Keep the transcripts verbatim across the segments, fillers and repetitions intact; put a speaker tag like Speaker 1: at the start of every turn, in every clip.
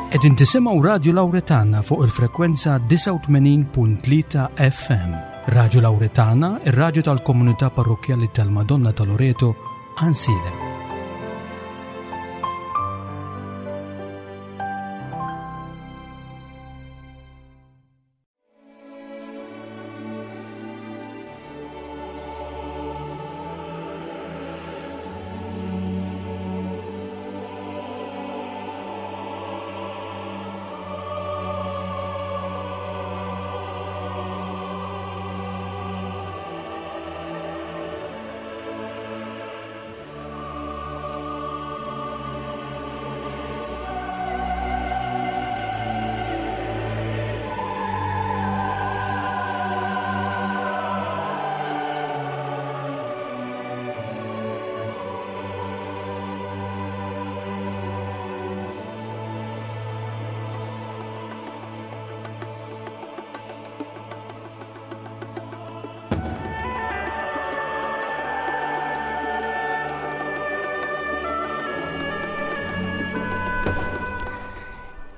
Speaker 1: Qegħdin tisimgħu Radju Lawretana fuq il-frekwenza disgħa u tmenin punt tlieta F M. Radju Lawretana, ir-radju tal-komunità parrokkjali tal-Madonna ta' Loreto, Għajnsielem.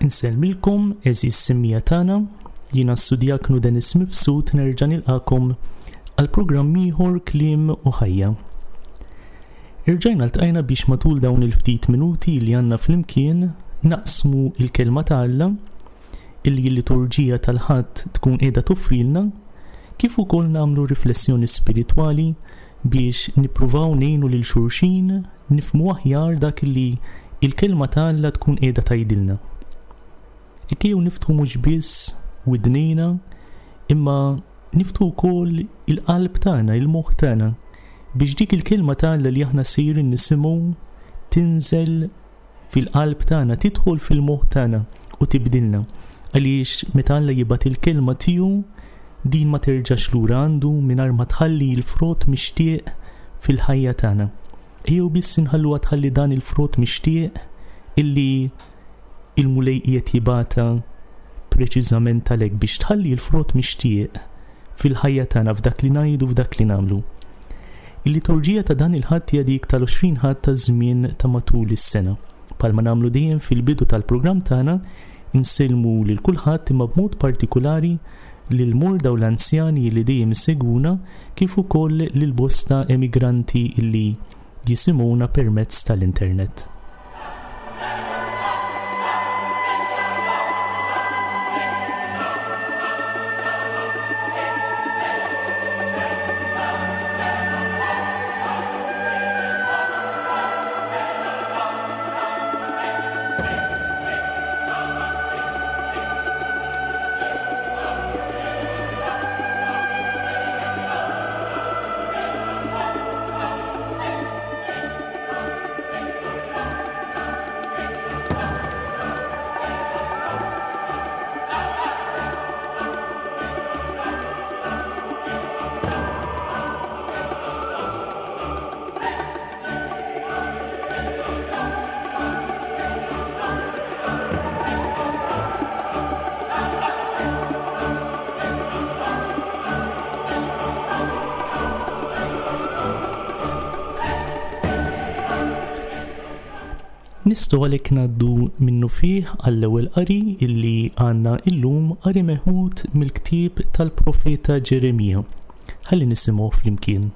Speaker 2: Insellmilkom, għeżież semmiegħa tagħna, jiena s-Sudjaknu Dennis Mifsud nerġa' nilqakom għal programm ieħor Kliem u Ħajja. Irġajna ltqajna biex matul dawn il-ftit minuti li għandna flimkien naqsmu il-kelma ta' Alla illi l-liturġija tal-Ħadd tkun qiegħda toffrilna, kif ukoll nagħmlu riflessjoni spiritwali biex nippruvaw ngħinu lil xulxin nifhmu aħjar dak li il-kelma ta' Alla tkun qiegħda tgħidilna. Ikkew niftħu mhux biss widnejna, imma niftħu wkoll il-qalb tagħna, il-moħħ tagħna, biex dik il-kelma ta' Alla li aħna sejrin nisimgħu tinżel fil-qalb tagħna, tidħol fil-moħħ tagħna u tibdilna. Għaliex meta Alla jibgħat il-kelma tiegħu, din ma terġax lura għandu mingħajr ma tħalli l-frott mixtieq fil-ħajja tagħna. Ejjew biss inħalluha tħalli dan il-frott mixtieq illi il-Mulej qiegħed jibgħatha preċiżament għalhekk biex tħalli l-frott mixtieq fil-ħajja tagħna, f'dak li ngħidu, f'dak li nagħmlu. Il-liturġija ta' dan il-Ħadd hija dik tal-għoxrin Ħadd ta' żmien ta' matul is-sena. Palma nagħmlu dejjem fil-bidu tal-programm tagħna, insellmu lil kulħadd imma b'mod partikulari lil morda u l-anzjani li dejjem isegwuna, kif ukoll lil bosta emigranti li jisimgħuna permezz tal-internet. Nistgħu għalhekk ngħaddu minnu fih għall-ewwel qari illi għandna illum, qari meħud mill-ktieb tal-profeta Ġeremija. Ħalli nisimgħu flimkien.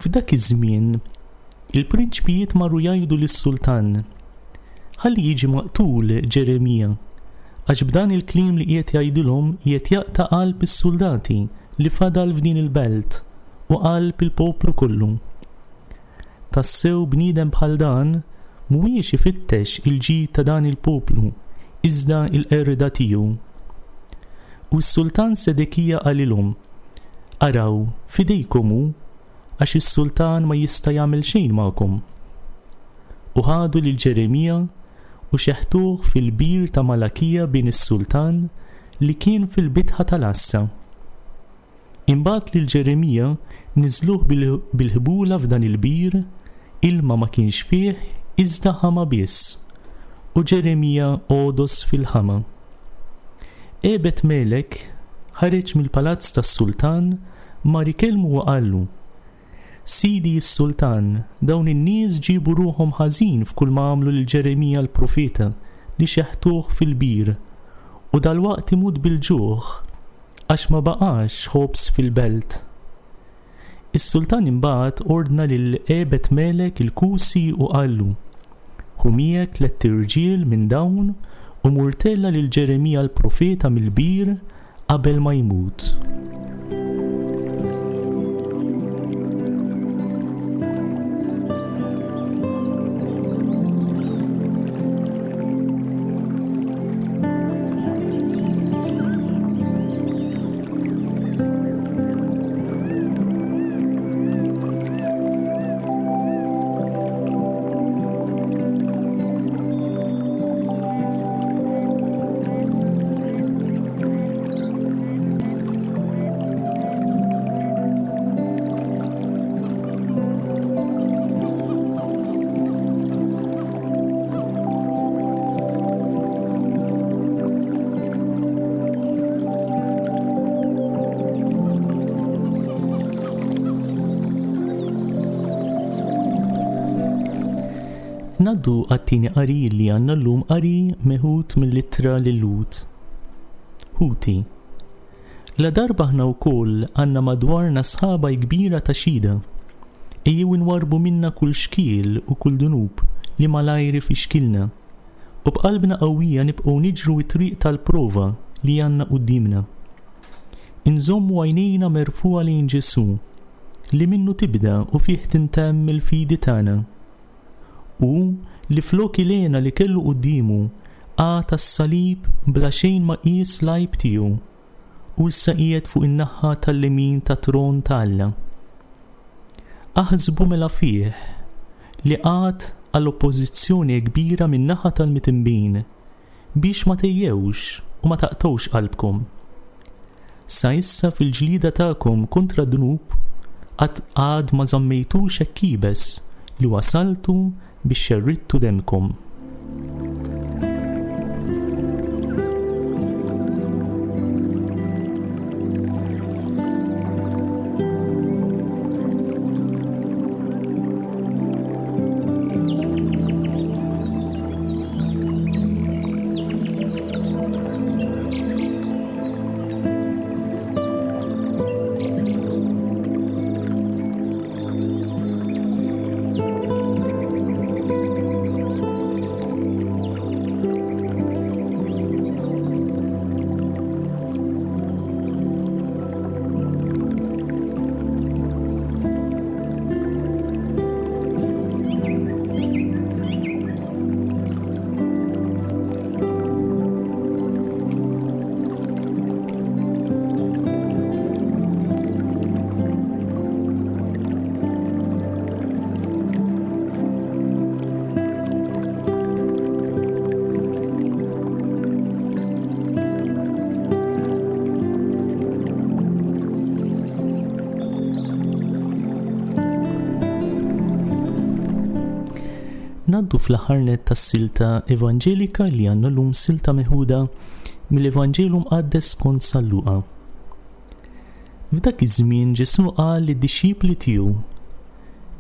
Speaker 2: F'dak iż-żmien il-prinċpijiet marru jgħidu lis-sultan, ħalli jiġi maqtul Ġeremija, għax b'dan il-kliem li qiegħed jgħidilhom qiegħed jaqta' qalb is-soldati li fadal f'din il-belt u qalb il-poplu kollu. Tassew bniedem bħal dan mhuwiex ifittex il-ġid ta' dan il-poplu, iżda l-qerda tiegħu. U s-sultan Sedekija qalilhom, Araw, fidejkom hu, għax is-sultan ma jista' jagħmel xejn magħkom. U ħadu lil Ġeremija u xeħtuh fil-bir ta' Malakija bin is-sultan li kien fil-bitħa tal-għassa. Imbagħad lil Ġeremija niżluh bil-, bil-ħbula f'dan il-bir, ilma ma kienx fih, iżda ħama biss, u Ġeremija għodos fil-ħama. Ebed Melek ħareġ mill-palazz tas-sultan, mar ikellmu u qallu, Sidi s-sultan, dawn in-nies ġibu ruħhom ħażin f'kull ma għamlu lil Ġeremija l-profeta li xeħtuh fil-bir u dalwaqt imut bil-ġuħ għax ma baqax ħobż fil-belt. Is-sultan imbagħad ordna lil Ebed Melek il-Kusi u qallu: Ħu miegħek tlett irġiel minn dawn u mur tella' lil Ġeremija l-profeta mill-bir qabel ma jmut. Naddu għat-tieni qari li għandna llum, qari meħud mill-ittra lil-Lhud. Ħuti, la darba aħna wkoll għandna madwarna sħaba kbira ta' xhieda, ejjew inwarrbu minna kull xkiel u kull dunub li malajr ifixkilna, u b'qalbna qawwija nibqgħu niġru t-triq tal-prova li għandna quddiemna. Inżommu għajnejna merfugħa lejn Ġesù, li minnu tibda u fih tintemm il-fidi tagħna, u li flok il-hena li kellu quddiemu għata s-salib bla xejn ma qies l-għajb tiegħu, u issa qiegħed fuq in-naħa tal-lemin tat-tron ta' Alla. Aħsbu mela fih li qagħad għal oppożizzjoni kbira min-naħa tal-mitinbin biex ma tejjewx u ma taqtgħux qalbkom. Sa issa fil-ġlida tagħkom kontra d-dnub qatt għad ma żammejtux hekk iebes li wasaltu biex xerridtu demkom. Naddu fl-aħħar nett tas-silta evanġelika li għandna llum, silta meħuda mill-Evanġelu Mqaddes skont San Luqa. F'dak iż-żmien Ġesù qal lid-dixxipli tiegħu: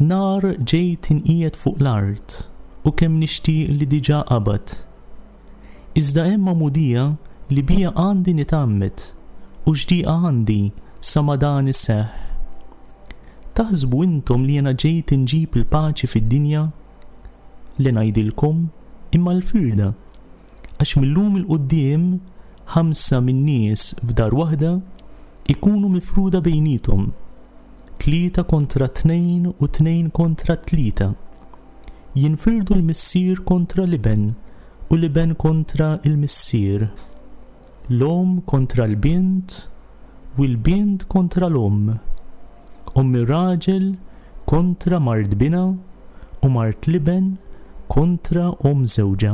Speaker 2: Nar ġejt inqiegħed fuq l-art u kemm nixtieq li diġà qabad. Iżda hemm magħmudija li bija għandi nitgħammed u x'dieqa għandi sa ma dan iseħħ. Taħsbu intom li jiena ġejt inġib il-paċi fid-dinja? Li ngħidilkom imma l-firda, għax millum il-quddiem ħamsa min-nies f'dar waħda ikunu mifruda bejnietom, tlieta kontra tnejn u tnejn kontra tlieta. Jinfirdu l-missier kontra l-iben u l-iben kontra l-missier, l-omm kontra l-bint u l-bint kontra l-omm, omm ir-raġel kontra mart binha u mart l-iben kontra omm żewġha.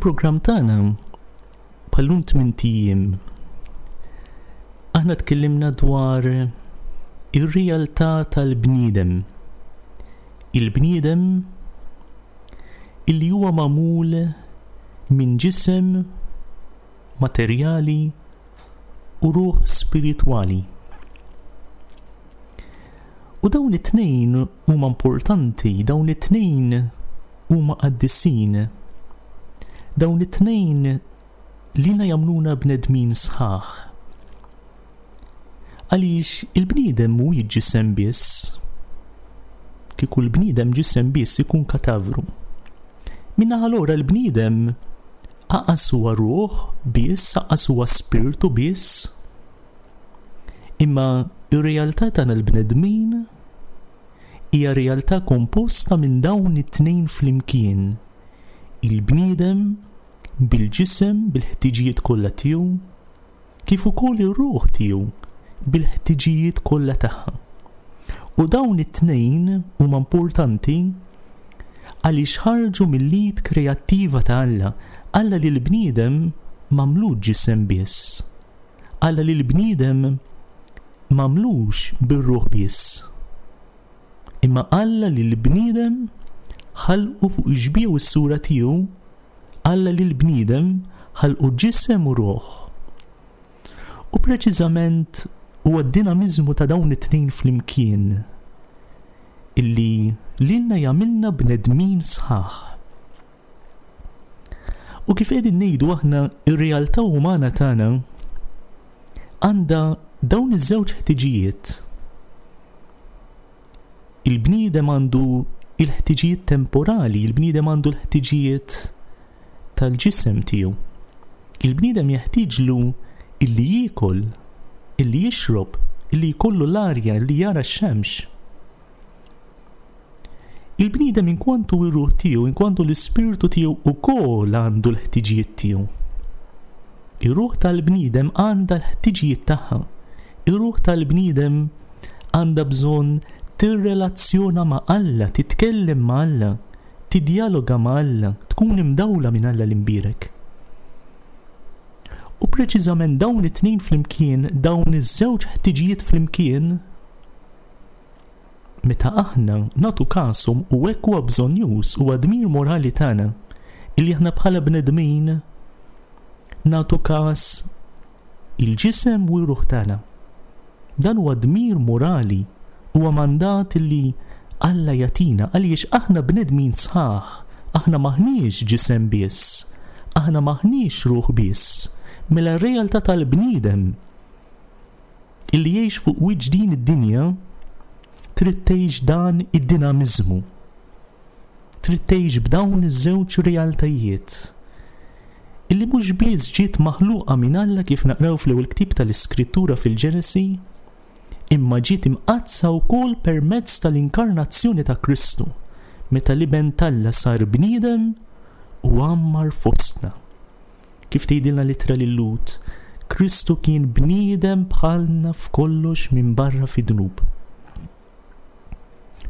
Speaker 2: Fil-programm tagħna bħal-lum tmint ijiem aħna tkellimna dwar ir-realtà tal-bniedem. Il-bniedem illi huwa magħmul minn ġisem materjali u ruħ spiritwali. U dawn it-tnejn huma importanti, dawn it-tnejn huma qaddisin. Dawn it-tnejn lilna jagħmluna bnedmin sħaħ. Għaliex il-bniedem mhuwiex ġisem biss. Kieku l-bniedem ġisem biss ikun katavru. Min-naħa l-oħra l-bniedem aqas huwa ruħ biss, aqas huwa spirtu biss. Imma ir-realtà tagħna l-bnedmin hija realtà komposta minn dawn it-tnejn flimkien. Il-bniedem bil-ġisem, bil-ħtiġijiet kollha tiegħu, kif ukoll ir-ruħ tiegħu bil-ħtiġijiet kollha tagħha. U dawn it-tnejn huma importanti għaliex ħarġu mill-id kreattiva ta' Alla. Alla li l-bniedem m'għamlux ġisem biss. Alla li l-bniedem m'għamlux bir-ruħ biss. Imma Alla li l-bniedem ħalqu fuq ix-xbieha u s-sura tiegħu, Alla li l-bniedem ħalqu ġisem u ruħ. U preċiżament huwa d-dinamiżmu ta' dawn it-tnejn flimkien illi lilna jagħmilna bnedmin sħaħ. U kif qegħdin ngħidu aħna, ir-realtà umana tagħna għandha dawn iż-żewġ ħtiġijiet. Il-bniedem għandu il-ħtiġijiet temporali, il-bniedem għandu l-ħtiġijiet tal-ġisem tiegħu. Il-bniedem jeħtieġlu illi jiekol, illi jixrob, illi jkollu l-arja, illi jara x-xemx. Il-bniedem inkwantu ir-ruħ tiegħu, inkwantu l-ispirtu tiegħu ukoll għandu l-ħtiġijiet tiegħu. Ir-ruħ tal-bniedem għandha l-ħtiġijiet tagħha. Ir-ruħ tal-bniedem għandha bżonn tirrelazzjona ma' Alla, titkellem ma' Alla, tidjaloga ma' Alla, tkun imdawla minn Alla l-imbierek. U preċiżament dawn it-tnejn flimkien, dawn iż-żewġ ħtiġijiet flimkien, meta aħna nagħtu kashom u hekk huwa bżonnjuż u dmir morali tagħna illi aħna bħala bnedmin nagħtu kas il-ġisem u r-ruħ tagħna. Dan huwa dmir morali, huwa mandat illi Alla jagħtina għaliex aħna bnedmin sħaħ, aħna maħniex ġisem biss, aħna maħniex ruħ biss. Mela r-realtà tal-bniedem illi jgħix fuq wiċċ din id-dinja trid tgħix dan id-dinamiżmu. Trid tgħix b'dawn iż-żewġ realtajiet illi mhux biss ġiet maħluqa minn Alla kif naqraw fl-ewwel ktieb tal-Iskrittura fil-Ġenesi, imma ġiet imqaddsa wkoll permezz tal-inkarnazzjoni ta' Kristu, meta l-Iben t'Alla sar bniedem u għammar fostna. Kif tgħidilna l-ittra lil Lut, Kristu kien bniedem bħalna f'kollox minn barra fid-dnub.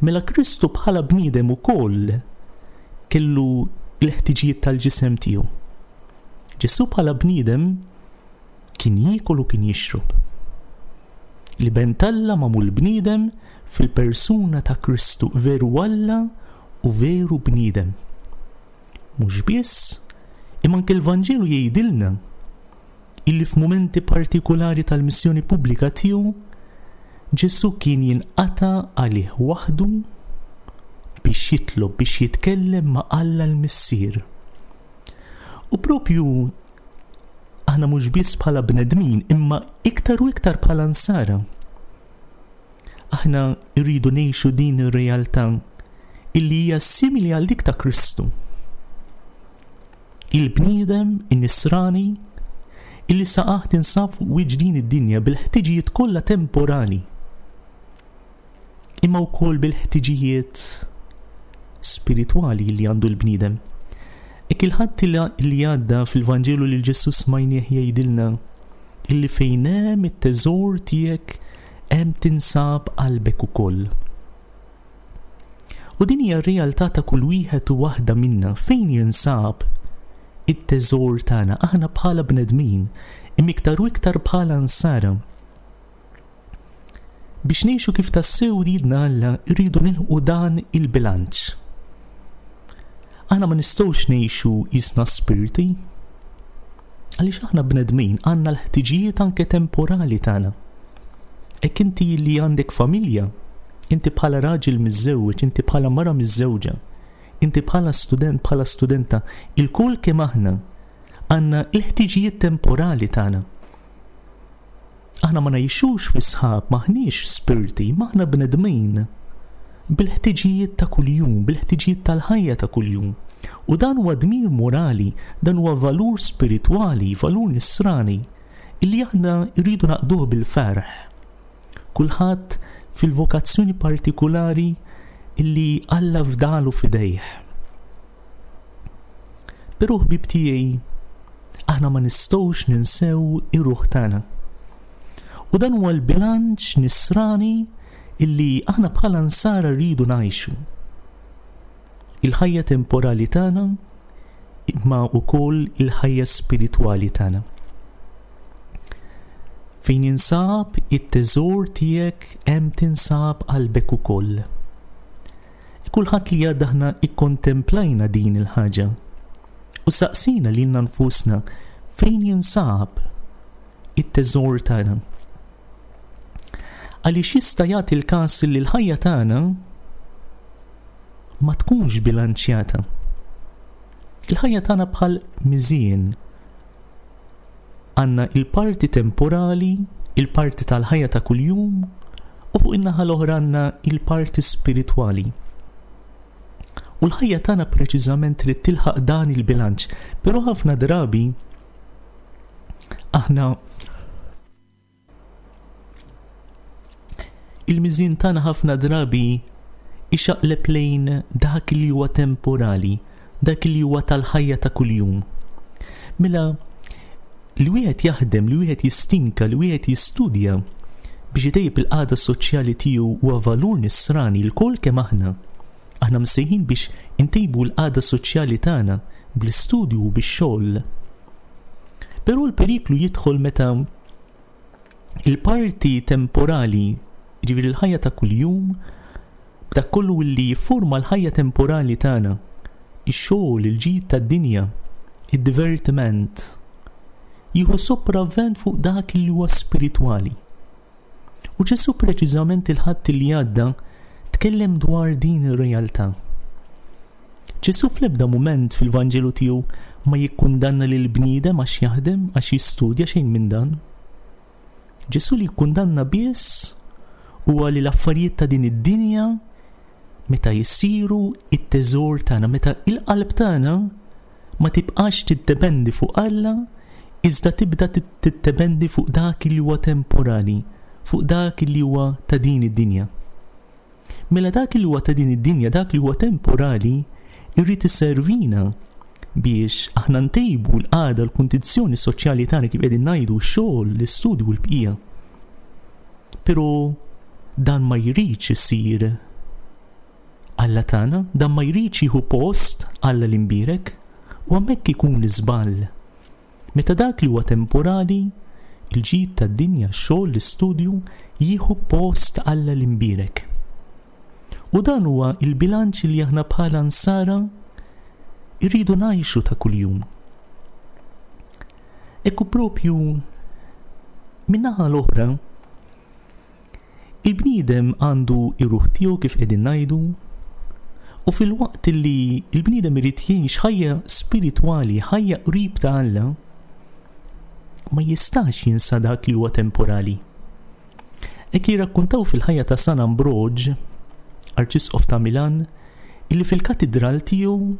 Speaker 2: Mela Kristu bħala bniedem ukoll kellu l-ħtiġijiet tal-ġisem tiegħu. Ġesù bħala bniedem kien jiekol u kien jixrob. L-Iben t'Alla magħmul bniedem fil-persuna ta' Kristu, veru Alla u veru bniedem. Mhux biss, imma anke l-Vanġelu jgħidilna illi f'mumenti partikolari tal-missjoni pubblika tiegħu Ġesù kien jinqata' għalih waħdu biex jitlob, biex jitkellem ma' Alla l-Missier. U propju aħna mhux biss bħala bnedmin, imma iktar u iktar bħala nsara. Aħna rridu ngħixu din ir-realtà illi hija simili għal dik ta' Kristu. Il-bniedem, in-nisrani, illi saqaħ tinsab fuq wiċċ din id-dinja bil-ħtiġijiet kollha temporali, imma wkoll bil-ħtiġijiet spiritwali li għandu l-bniedem. Ek il-ħadd li għadda fil-Vanġelu li Ġesù smajnieh jgħidilna illi fejn hemm it-teżor tiegħek hemm tinsab qalbek ukoll. U din hija r-realtà ta' kull wieħed u waħda minna fejn jinsab it-teżor tagħna, aħna bħala bnedmin, imma iktar u iktar bħala nsara. Biex ngħixu kif tassew ridna Alla, rridu nilħqu dan il-bilanċ. Aħna ma nistgħux ngħixu qisna spirti, għaliex aħna bnedmin għandna l-ħtiġijiet anke temporali tagħna. Hekk inti li għandek familja, inti bħala raġel miżżewweġ, inti bħala mara miżżewġa, inti bħala student, bħala studenta, ilkoll kemm aħna għandna l-ħtiġijiet temporali tagħna. Aħna ma ngħixux fi sħab, m'aħniex spirti, m'aħna bnedmin bil-ħtiġijiet ta' kuljum, bil-ħtiġijiet tal-ħajja ta' kuljum. U dan huwa dmir morali, dan huwa valur spiritwali, valur nisrani, illi aħna rridu naqduh bil-ferħ. Kulħadd fil-vokazzjoni partikulari illi Alla fdalu f'idejh. Però ħbib tiegħi, aħna ma nistgħux ninsew ir-ruħ tagħna. U dan huwa l-bilanċ nisrani illi aħna bħala nsara rridu ngħixu. Il-ħajja temporali tagħna imma wkoll il-ħajja spiritwali tagħna. Fejn jinsab it-teżor tiegħek hemm tinsab qalbek ukoll. Kulħadd li għadda aħna ikkontemplajna din il-ħaġa u saqsina lilna nfusna fejn jinsab it-teżor tagħna. Għaliex jista' jagħti l-każ li l-ħajja tagħna ma tkunx bilanċjata. Il-ħajja tagħna bħal miżien. Għandna il-parti temporali, il-parti tal-ħajja ta' kuljum, u fuq in-naħa l-oħra għandna il-parti spiritwali. U l-ħajja tagħna preċiżament trid tilħaq dan il-bilanċ, però ħafna drabi aħna il-miżien tagħna ħafna drabi ixaqleb lejn dak li huwa temporali, dak li huwa tal-ħajja ta' kuljum. Mela li wieħed jaħdem, li wieħed jistinka, li wieħed jistudja biex itejjeb il-qagħda soċjali tiegħu huwa valur nisrani lkoll kemm aħna. Aħna msejħin biex intejbu l-qagħda soċjali tagħna bl-istudju u bix-xogħol. Però l-periklu jidħol meta il-parti temporali, jiġifieri l-ħajja ta' kuljum, b'dak kollu li jifforma l-ħajja temporali tagħna, ix-xogħol, il-ġid tad-dinja, id-divertiment, jieħu sopravvent fuq dak li huwa spiritwali. U Ġesù preċiżament il-Ħadd li għadda tkellem dwar din ir-realtà. Ġesù fl-ebda mument fil-Vanġelu tiegħu ma jikkundanna lil bniedem għax jaħdem, għax jistudja, xejn minn dan. Ġesù li jikkundanna biss huwa li l-affarijiet ta' din id-dinja meta jsiru it-teżor tagħna, meta il-qalb tagħna ma tibqax tiddependi fuq Alla, iżda tibda tiddependi fuq dak li huwa temporali, fuq dak li huwa ta' din id-dinja. Mela dak li huwa ta' din id-dinja, dak li huwa temporali, irrid iservina biex aħna ntejbu l-qagħda, l-kundizzjoni soċjali tagħna kif qegħdin ngħidu, x-xogħol, l-istudju u l-bqija. Però dan ma jridx isir Alla tagħna, dan ma jridx jieħu post Alla l-imbierek, u hemmhekk ikun l-iżball. Meta dak li huwa temporali, il-ġid tad-dinja, x-xogħol, l-istudju, jieħu post Alla l-imbierek. U dan huwa il-bilanċ li aħna bħala nsara irridu ngħixu ta' kuljum. Ekku propju min-naħa l-oħra, il-bniedem għandu ir-ruħ tiegħu kif qegħdin ngħidu, u fil-waqt li il-bniedem irid jgħix ħajja spiritwali, ħajja qrib ta' Alla, ma jistax jinsa dak li huwa temporali. Hekk jirrakkuntaw fil-ħajja ta' San Ambroġ, Arċisqof ta' Milan, illi fil-katidral tiegħu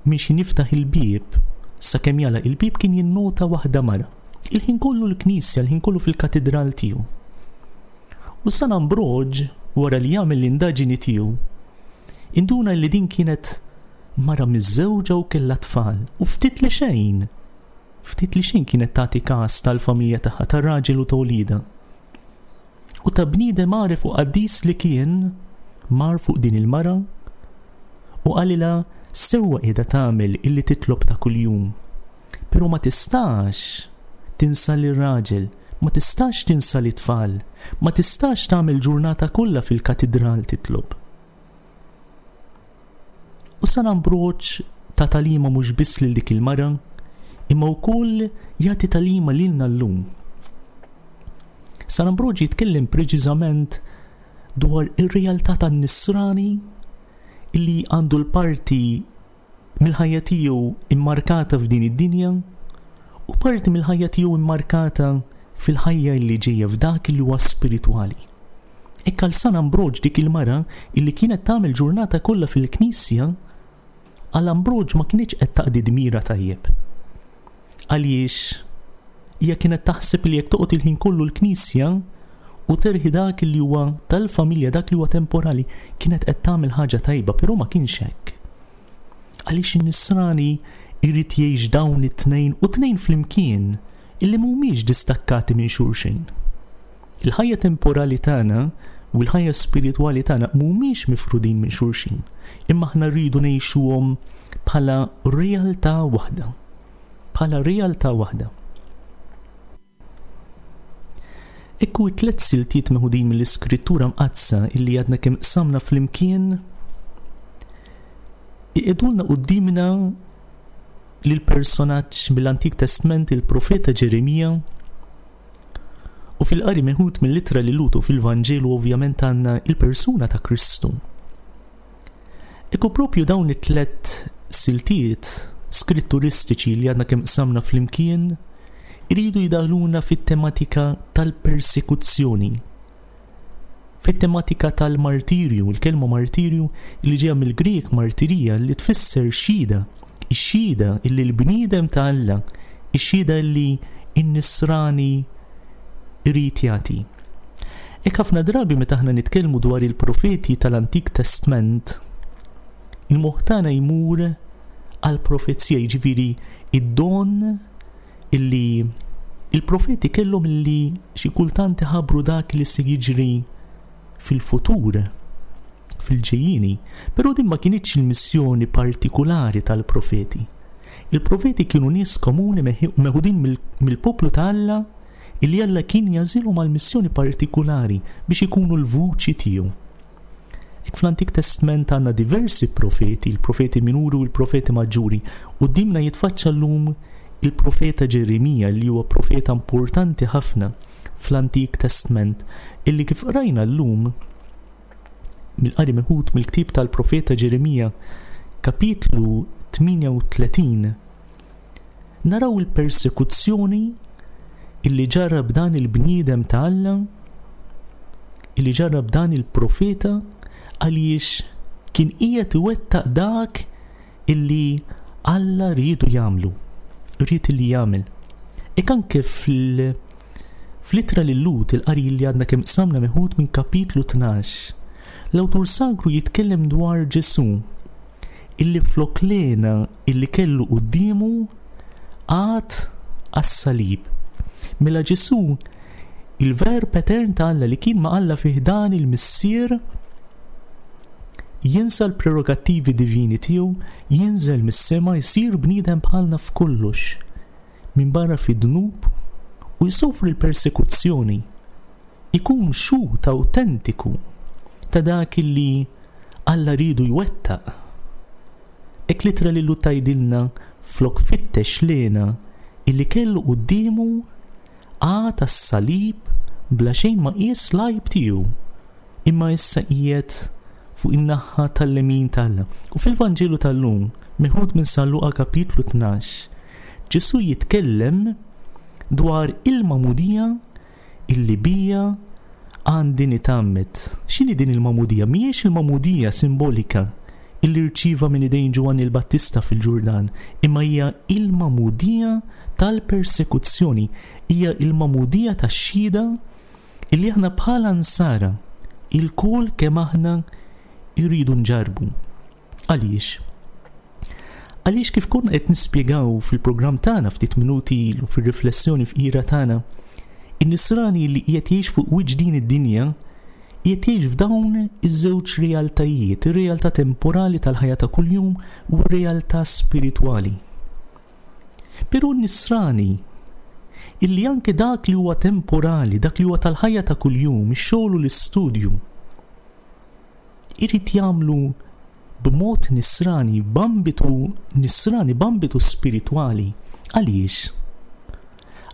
Speaker 2: miex niftaħ il-bieb, sakemm jala il-bieb kien jinnota waħda mara. Il-ħin kollu l-knisja, il-ħin kollu fil-katidral tiegħu. U San Ambroġ, wara li jagħmel l-indaġini tiegħu, induna li din kienet mara miżżewġa u kellha tfal, u ftit li xejn, ftit li xejn kienet tagħti każ tal-familja tagħha, tar-raġel u ta' wliedha. U ta' bniedem għaref u qaddis li kien, mar fuq din il-mara u qalilha, Sewwa qiegħda tagħmel illi titlob ta' kuljum. Però ma tistax tinsa lir-raġel, ma tistax tinsa lit-tfal, ma tistax tagħmel ġurnata kollha fil-katidral titlob. U San Ambroġ ta tagħlima mhux biss lil dik il-mara, imma wkoll jagħti tagħlima lilna llum. San Ambroġ jitkellem preċiżament dwar ir-realtà tan-nisrani illi għandu l-parti mill-ħajja tiegħu immarkata f'din id-dinja u parti mill-ħajja tiegħu immarkata fil-ħajja li ġejja f'dak li huwa spiritwali. Hekk għal San Ambroġ dik il-mara illi kienet tagħmel ġurnata kollha fil-knisja, għal Ambroġ ma kienx qed taqdi dmira tajjeb. Għaliex hija kienet taħseb li jekk toqgħod il-ħin kollu l-knisja u terħi dak li huwa tal-familja, dak li huwa temporali, kienet qed tagħmel ħaġa tajba, però ma kienx hekk. Għaliex in-nisrani jrid jgħix dawn it-tnejn u tnejn flimkien illi mhumiex distakkati minn xulxin. Il-ħajja temporali tagħna u l-ħajja spiritwali tagħna mhumiex mifrudin minn xulxin, imma aħna rridu ngħixuhom bħala realtà waħda. Bħala realtà waħda. Ekku tliet siltiet meħudin mill-Iskrittura Mqaddsa illi għadna kemm qsamna flimkien iqegħdulna quddiemna lil personaġġ mill-Antik Testment, il-profeta Ġeremija, u fil-qari meħud mill-ittra lil Lutu fil-Vanġelu ovvjament għandna il-persuna ta' Kristu. Ekku propju dawn it-tlet siltiet skritturistiċi li għadna kemm qsamna flimkien iridu jidaħluna fit-tematika tal-persekuzzjoni, fit-tematika tal-martirju, il-kelma martirju li ġejja mill-Grek martirija li tfisser xhieda, ix-xhieda illi l-bniedem ta' Alla, ix-xhieda illi n-nisrani irid jagħti. Hekk ħafna drabi meta aħna nitkellmu dwar il-profeti tal-Antik Testament, il-moħħ tagħna jmur għall-profezija, jiġifieri id-don illi il-profeti kellhom illi xi kultant iħabbru dak li se jiġri fil-futur, fil-ġejjieni, però din ma kinitx il-missjoni partikulari tal-profeti. Il-profeti kienu nies komuni meħudin mill-poplu ta' Alla illi Alla kien jażilhom għal missjoni partikulari biex ikunu l-vuċi tiegħu. Hekk fl-Antik Testament għandna diversi profeti, il-profeti minuri u l-profeti maġġuri, u dimna jitfaċċa llum il-profeta Ġeremija li huwa profeta importanti ħafna fl-Antik Testament, illi kif qrajna llum mill-qari meħud mill-ktieb tal-profeta Ġeremija kapitlu tmienja u tletin, naraw il-persekuzzjoni illi ġarrab dan il-bniedem ta' Alla, illi ġarrab dan il-profeta għaliex kien qiegħed iwettaq dak illi Alla riedu jagħmlu, ried illi jagħmel. Hekk anke fil- fl-ittra lil Lut, il-qari li għadna kemm qsamna meħud minn kapitlu tnax, l-awtur sagru jitkellem dwar Ġesù illi flok lena illi kellu quddiemu għad għas-salib. Mela Ġesù, il-verb etern ta' Alla li kien ma' Alla fih dan il-Missier, jinsa l-prerogattivi divini tiegħu, jinżel mis-sema, jsir bniedem bħalna f'kollox, minn barra fid-dnub, u jsofri l-persekuzzjoni, ikun xhud awtentiku ta' dak illi Alla ridu jwettaq. Hekk l-ittra lil Lut tgħidilna flok fittex lena illi kellu quddiemu għad għas-salib bla xejn ma qies l-għajb tiegħu, imma issa qiegħed fuq in-naħa tal-lemin t'Alla. U fil-Vanġelu tal-lum, meħud minn San Luqa kapitlu tnax, Ġesù jitkellem dwar il-magħmudija illi bija għandi nitgħammed. X'inhi din il-magħmudija? Mhijiex il-magħmudija simbolika illi rċieva minn idejn Ġwanni l-Battista fil-Ġurdan, imma hija il-magħmudija tal-persekuzzjoni, hija il-magħmudija tax-xhieda illi aħna bħala nsara ilkoll kemm aħna jridu nġarbu. Għaliex? Għaliex kif konna qed nispjegaw fil-programm tagħna ftit minuti ilu fir-riflessjoni fqira tagħna, in-nisrani li qiegħed jgħix fuq wiċċ din id-dinja Qiegħed jgħix f'dawn iż-żewġ realtajiet, ir-realtà temporali tal-ħajja ta' kuljum u r-realtà spiritwali. Però n-nisrani illi anke dak li huwa temporali, dak li huwa tal-ħajja ta' kuljum, ix-xogħol u l-istudju, irid jagħmlu b'mod nisrani, b'ambitu nisrani, b'ambitu spiritwali. Għaliex?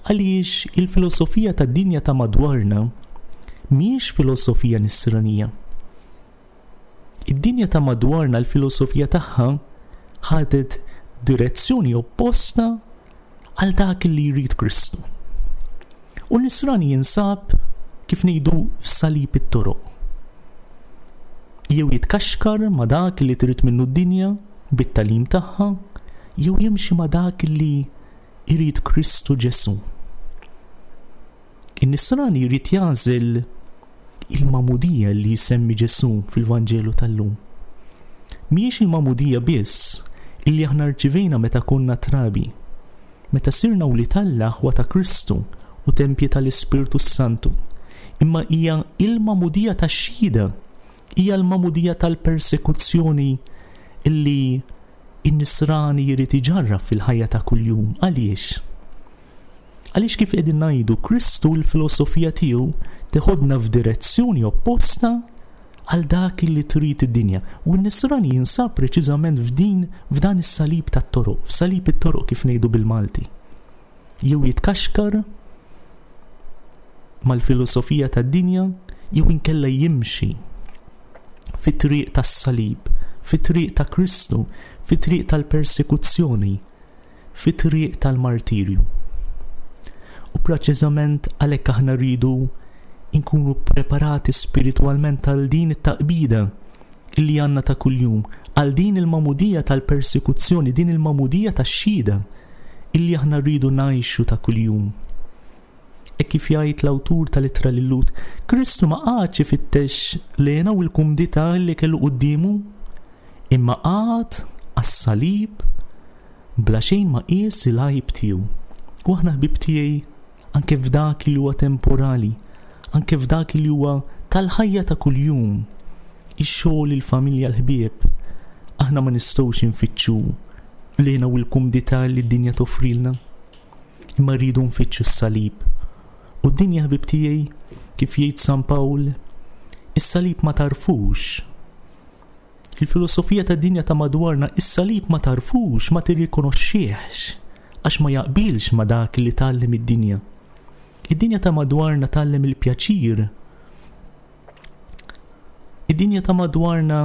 Speaker 2: Għaliex il-filosofija tad-dinja ta' madwarna mhijiex filosofija nisranija. Id-dinja ta' madwarna l-filosofija tagħha ħadet direzzjoni opposta għal dak li jrid Kristu. U nisrani jinsab kif ngħidu f'salib it-toroq. Jew jitkaxkar ma' dak li trid minnu d-dinja bit-tagħlim tagħha, jew jimxi ma' dak li jrid Kristu Ġesù. In-nisrani jrid jagħżel il-magħmudija li jsemmi Ġesù fil-Vanġelu tal-lum. Mhijiex il-magħmudija biss illi aħna rċivejna meta konna trabi, meta sirna wlied Alla aħwa ta' Kristu u tempji tal-Ispirtu Santu, imma hija il-magħmudija tax-xhieda, hija l-magħmudija tal-persekuzzjoni illi in-nisrani jrid iġarrab fil-ħajja ta' kuljum. Għaliex? Għaliex kif qegħdin ngħidu, Kristu l-filosofija tiegħu teħodna f'direzzjoni opposta għal dak li trid id-dinja. U n-nisrani jinsab preċiżament f'din f'dan is-salib tat-toroq, f'salib it-toroq kif ngħidu bil-Malti. Jew jitkaxkar mal-filosofija tad-dinja, jew inkella jimxi fit-triq tas-salib, fit-triq ta' Kristu, fit-triq tal-persekuzzjoni, fit-triq tal-martirju. U preċiżament għalhekk aħna rridu nkunu preparati spiritwalment għal din it-taqbida illi għandna ta' kuljum, għal din il-magħmudija tal-persekuzzjoni, din il-magħmudija tax-xhieda illi aħna rridu ngħixu ta' kuljum. E kif jgħid l-awtur tal-ittra lil-Lhud, Kristu ma qagħadx ifittex l-hena u l-kumdità li kellu quddiemu, imma qagħad għas-salib bla xejn ma qies il-għajb tiegħu. U aħna ħbib tiegħi, anke f'dak li huwa temporali, anke f'dak li huwa tal-ħajja ta' kuljum, ix-xogħol, il-familja, l-ħbieb, aħna ma nistgħux infittxu l-hena u l-kumdità li d-dinja toffrilna, imma rridu nfittxu s-salib. U d-dinja, ħbib tiegħi, kif jgħid San Pawl, is-salib ma tarfux. Il-filosofija tad-dinja ta' madwarna, is-salib ma tarfux, ma tirrikonoxxihx, għax ma jaqbilx ma dak li tgħallem id-dinja. Id-dinja ta' madwarna tgħallem il-pjaċir. Id-dinja ta' madwarna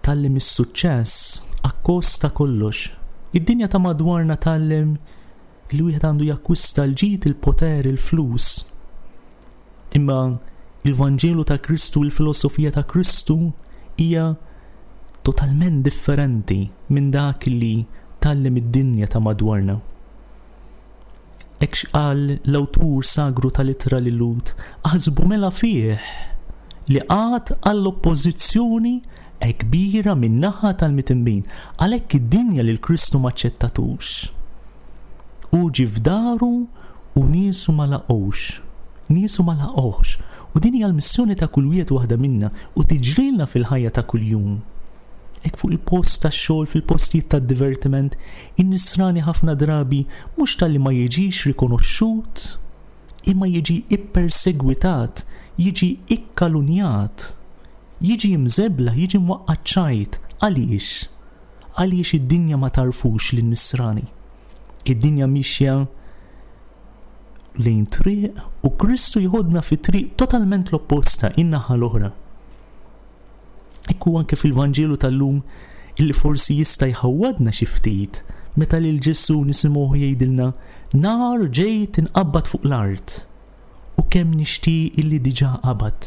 Speaker 2: tgħallem is-suċċess akkost ta' kollox. Id-dinja ta' madwarna tgħallem li wieħed għandu jakkwista l-ġid, il-poter, il-flus. Imma il-Vanġelu ta' Kristu, il-filosofija ta' Kristu hija totalment differenti minn dak li tgħallem id-dinja ta' madwarna. Hekk qal l-awtur sagru tal-ittra lil-Lhud, aħsbu mela fih li qagħad għall-oppożizzjoni kbira min-naħa tal-mitinbin, għalhekk id-dinja lil Kristu ma aċċettatux. U ġie f'daru u niesu ma laqgħux. Niesu ma laqgħux. U din hija l-missjoni ta' kull wieħed waħda minna u tiġrilna fil-ħajja ta' kuljum. Hekk fuq il-post tax-xogħol, fil-postijiet tad-divertiment, in-nisrani ħafna drabi mhux talli ma jiġix rikonoxxut, imma jiġi ippersegwitat, jiġi ikkalunjat, jiġi mżebla, jiġi mwaqqaċ ċajt. Għaliex? Għaliex id-dinja ma tarfux lin-nisrani. Id-dinja mixja lejn triq u Kristu jħodna fi triq totalment l-opposta, in-naħa l-oħra. Ekku anke fil-Vanġelu tal-lum illi forsi jista' jħawwadna xi ftit meta lil Ġesù nisimgħuh jgħidilna nar ġejt inqabbad fuq l-art u kemm nixtieq illi diġà qabad.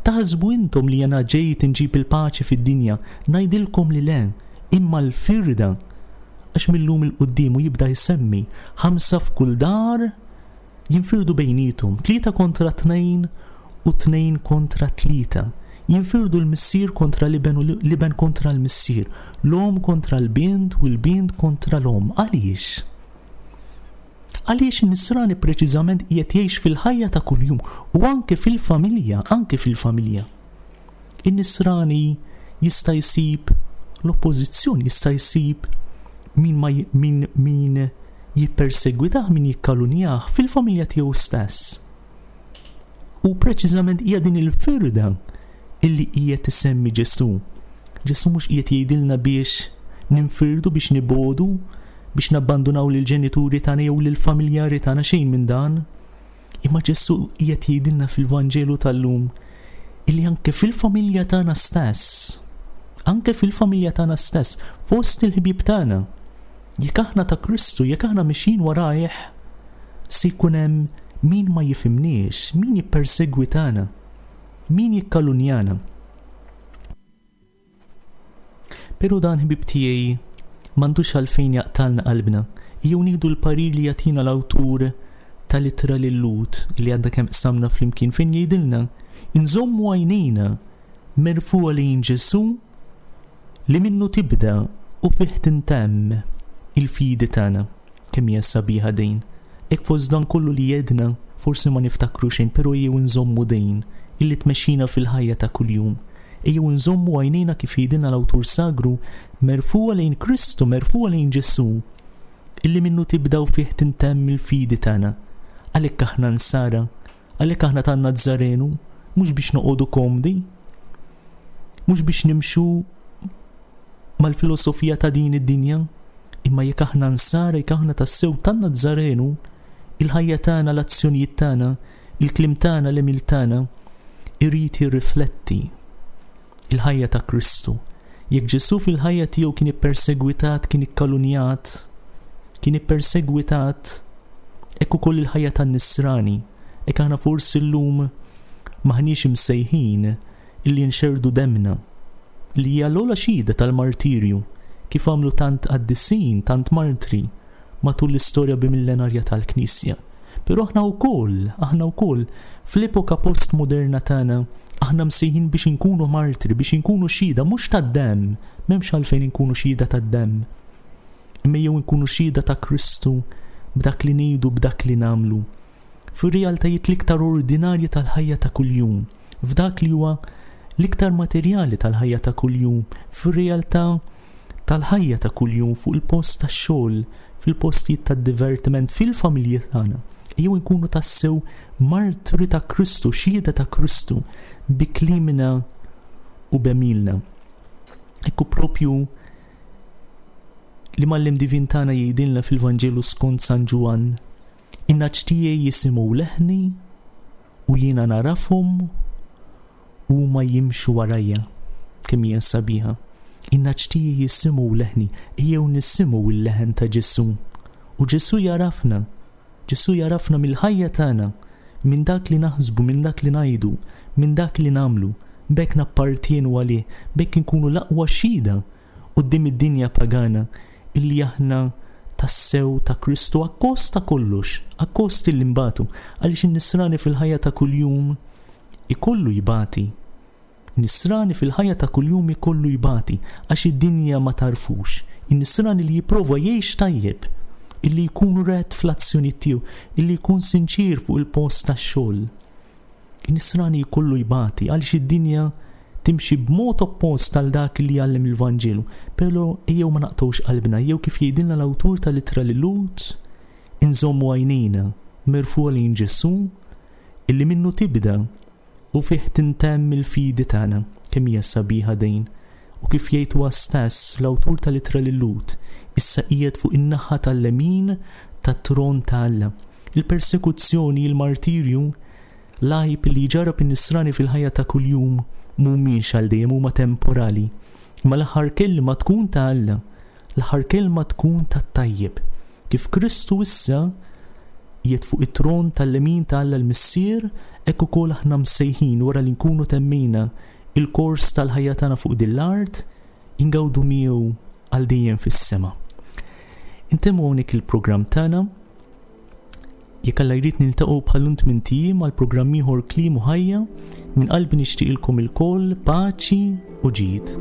Speaker 2: Taħsbu intom li jena ġejt inġib il-paċi fid-dinja, ngħidilkom li le, imma l-firda, għax mil-lum il-qudiem u jibda jsemmi ħamsa f'kull dar jinfirdu bejnietom, tlieta kontra tnejn u tnejn kontra tlieta. Jinfirdu l-missier kontra l-iben u l-iben kontra l-missier, l-om kontra l-bint u l-bint kontra l-om. Għaliex? Għaliex in-nisrani preċiżament qiegħed jgħix fil-ħajja ta' kuljum u anke fil-familja, anke fil-familja. In-nisrani jista' jsib l-oppożizzjoni, jista' jsib min ma min min jippersegwitah, min jikkalunjah fil-familja tiegħu stess. U preċiżament hija din il-firda illi qiegħed isemmi Ġesù. Ġesù mhux qiegħed jgħidilna biex ninfirdu, biex nibodu, biex nabbandunaw lill-ġenituri tagħna jew lill-familjari tagħna, xejn minn dan. Imma Ġesù qiegħed jgħidilna fil-Vanġelu tal-lum illi anke fil-familja tagħna stess, anke fil-familja tagħna stess, fost il-ħbieb tagħna, jekk aħna ta' Kristu, jekk aħna mixjin warajh, se jkun hemm min ma jifhimniex, min jippersegwitana, min jikkalunjana. Però dan, ħbieb tiegħi, m'għandux għalfejn jaqtalna qalbna. Jew nieħdu l-parir li jagħtina l-awtur tal-ittra lil-Lhud li għadna kemm qsamna flimkien, fejn jgħidilna nżommu għajnejna merfugħa lejn Ġesù li minnu tibda u fih tintemm il-fidi tagħna. Kemm hija sabiħa din. Hekk fost dan kollu li jedna forsi ma niftakru xejn, però ejjew nżommu din illi tmexxina fil-ħajja ta' kuljum. Ejjew nżommu għajnejna, kif jgħidilna l-awtur sagru, merfugħa lejn Kristu, merfugħa lejn Ġesù, illi minnu tibda u fih tintemm il-fidi tagħna. Għalhekk aħna nsara, għalhekk aħna tan-Nazzarenu, mhux biex noqogħdu komdi, mhux biex nimxu mal-filosofija ta' din id-dinja, imma jekk aħna nsara, jekk aħna tassew tan-Nazzarenu, il-ħajja tagħna, l-azzjonijiet tagħna, il-kliem tagħna, l-għemil tagħna, irid jirrifletti il-ħajja ta' Kristu. Jekk Ġesù fil-ħajja tiegħu kien ippersegwitat, kien ikkalunjat, kien ippersegwitat, hekk ukoll il-ħajja tan-nisrani. Hekk aħna forsi llum maħniex imsejħin illi nxerdu demna, li hija l-ogħla xhieda tal-martirju, kif għamlu tant qaddisin, tant martri matul l-istorja bimillenarja tal-Knisja. Però aħna wkoll, aħna wkoll fl-epoka postmoderna tagħna, aħna msejħin biex inkunu martri, biex inkunu xhieda mhux tad-demm, m'hemmx għalfejn inkunu xhieda tad-demm, imma jew inkunu xhieda ta' Kristu b'dak li ngħidu, b'dak li nagħmlu, fir-realtajiet l-iktar ordinarji tal-ħajja ta' kuljum, f'dak li huwa l-iktar materjali tal-ħajja ta' kuljum, fir-realtà tal-ħajja ta' kuljum, fuq il-post tax-xogħol, fil-postijiet tad-divertiment, fil-familji tagħna. Jew inkunu tassew martri ta' Kristu, xhieda ta' Kristu bi klimna u b'għemilna. Ekku propju li mal-lim divin tagħna jgħidilna fil-Vanġelu skont San Ġwann, in-nagħaġ tiegħi jisimgħu leħni u jiena narafhom u huma jimxu warajja. Kemm hija sabiħa. In-nagħaġ tiegħi jisimgħu leħni, ejjew nisimgħu l-leħen ta' Ġesù. U Ġesù jarafna, Ġesù jarafna mill-ħajja tagħna, minn dak li naħsbu, minn dak li ngħidu, minn dak li nagħmlu, b'hekk nappartienu għalih, b'hekk inkunu l-aqwa xhieda quddiem id-dinja pagana illi aħna tassew ta' Kristu akkost ta' kollox, akkost illi nbatu, għaliex in-nisrani fil-ħajja ta' kuljum ikollu jbati. Nisrani fil-ħajja ta' kuljum ikollu jbati għax id-dinja ma tarfux. In-nisrani li jipprova jgħix tajjeb, illi jkun ret fl-azzjoni tiegħu, illi jkun sinċir fuq il-post tax-xogħol. In-nisrani jkollu jbati għaliex id-dinja timxi b'mod oppost għal dak li jgħallem il-Vanġelu. Però ejjew ma naqtgħux qalbna, jew kif jgħidilna l-awtur tal-ittra lil Lhud, inżommu għajnejna merfugħa lejn Ġesù illi minnu tibda u fih tintemm il-fidi tagħna. Kemm hija sabiħa din. U kif jgħid huwa stess l-awtur tal-ittra lil Lhud, issa qiegħed fuq in-naħa tal-lemin tat-tron ta' Alla. Il-persekuzzjoni, il-martirju, l-għajb li jġarrab in-nisrani fil-ħajja ta' kuljum mhumiex għal dejjem, huma temporali. Imma l-aħħar kelma tkun ta' Alla, l-aħħar kelma tkun tat-tajjeb. Kif Kristu issa qiegħed fuq it-tron tal-lemin ta' Alla l-Missier, hekk ukoll aħna msejħin wara li nkunu temmejna il-kors tal-ħajja tagħna fuq din l-art, ingawdu miegħu għal dejjem fis-sema. Intemmu hawnhekk il-programm tagħna. Jekk Alla jrid niltaqgħu bħal-lum tmint ijiem għal programm ieħor Kliem u Ħajja, minn qalbi nixtieqilkom ilkoll paċi u ġid.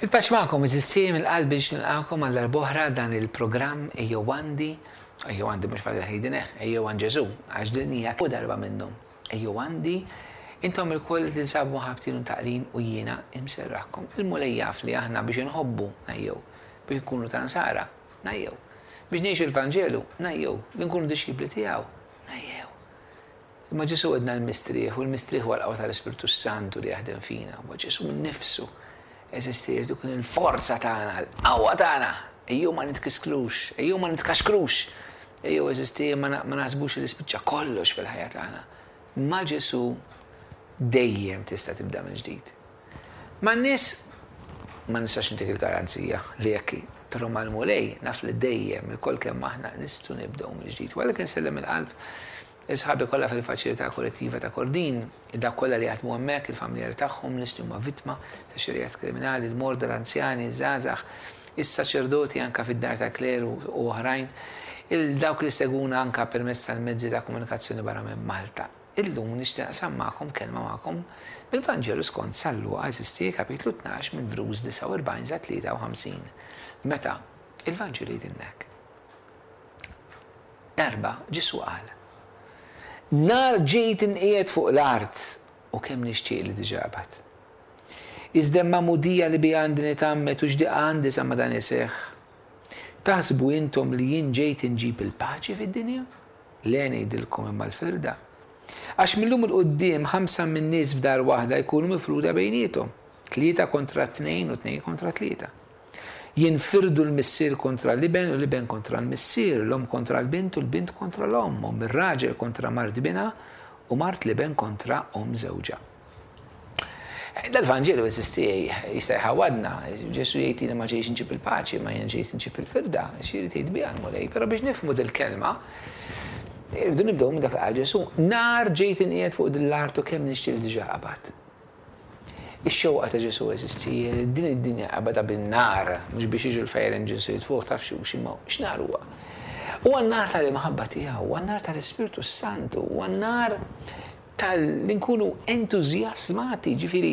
Speaker 3: Il-paċi magħkom, għeżież tiegħi, mill-qalb biex nilqagħkom għal darb'oħra dan il-programm Ejjew Għandi, Ejjew Għandi mhux Father Hayden, Ejjew Għand Ġesù, għax din hija kull darba minnhom. Ejjew Għandi, intom ilkoll li tinsabu ħabtin u taqlin u jiena imserraħkom. Il-Mulej jaf li aħna biex inħobbu ngħejjew, biex nkunu ta' nsara ngħejjew, biex ngħixu l-Vanġelu ngħejjew, li nkunu dixxipli tiegħu ngħejjew. Imma Ġesù għedna l-mistrieħ, u l-mistrieħ huwa l-qawwa tal-Ispirtu Santu li jaħdem fina, huwa Ġesù nnifsu. Eżisti jrid ikun il-forza tagħna, l-qawwa tagħna. Ejjew ma nitkisklux, ejjew ma nitkaxkrux, ejjew eżisti ma naħsbux li spiċċa kollox fil-ħajja tagħna. Ma' Ġesù dejjem tista' tibda minn ġdid. Man-nies ma nistax intik il-garanzija li jekk, però mal-Mulej naf li dejjem ilkoll kemm aħna nistgħu nibdew mill-ġdid. U għalhekk insellem il-qalb is-sħabi kollha fil-faċilità korrettiva ta' Kordin, dak kollha li jaħdmu hemmhekk, il-familjari tagħhom, nies li huma vittma ta' xi reat kriminali, il-morda, l-anzjani, iż-żgħażagħ, is-saċerdoti anka fid-dar ta' kleru u oħrajn, il-dawk li seguna anka permezz tal-mezzi ta' komunikazzjoni barra minn Malta. Illum nixtieq naqsam magħkom kelma magħkom mill-Vanġelu skont San Luqa, eżisti kapitlu tnax minn vrus disgħa u erbgħin sa tlieta u ħamsin. Meta il-Vanġelu jgħidilna hekk. Darba Ġesù qal: Nar ġejt inqiegħed fuq l-art u kemm nixtieq li diġà qabad. Iżda magħmudija li biha għandi nitgħammed u x'diqa għandi sa ma dan iseħħ. Taħsbu intom li jien ġejt inġib il-paċi fid-dinja? Le ngħidilkom imma l-firda. Għax millum il-quddiem ħamsa minn nies f'dar waħda jkunu mifruda bejniethom, tlieta kontra tnejn u tnejn kontra tlieta. Jinfirdu l-missier kontra l-iben u l-iben kontra l-missier, l-om kontra l-bint u l-bint kontra l-om, om ir-raġel kontra mart binha u mart l-iben kontra om żewġha. Dal-Vanġelu eżisti jista' jħawadna, Ġesù jgħid li ma ġejx inġib il-paċi, ma jien ġejt inġib il-firda, xi jrid jgħid biha l-Mulej, però biex nifhmu dil-kelma, irridu nibdew minn dak li qal Ġesù, nar ġejt inqiegħed fuq din l-art u kemm nixtieq li diġà qabad. Ix-xewqa ta' Ġesù eżisti, din id-dinja qabadha bin-nar, mhux biex jiġu l-fire engines u jitfuh taf xi imma x'nar huwa. Huwa n-nar tal-imħabba tiegħu, huwa n-nar tal-Ispirtu Santu, huwa n-nar tal-li nkunu entużjasmati, ġifieri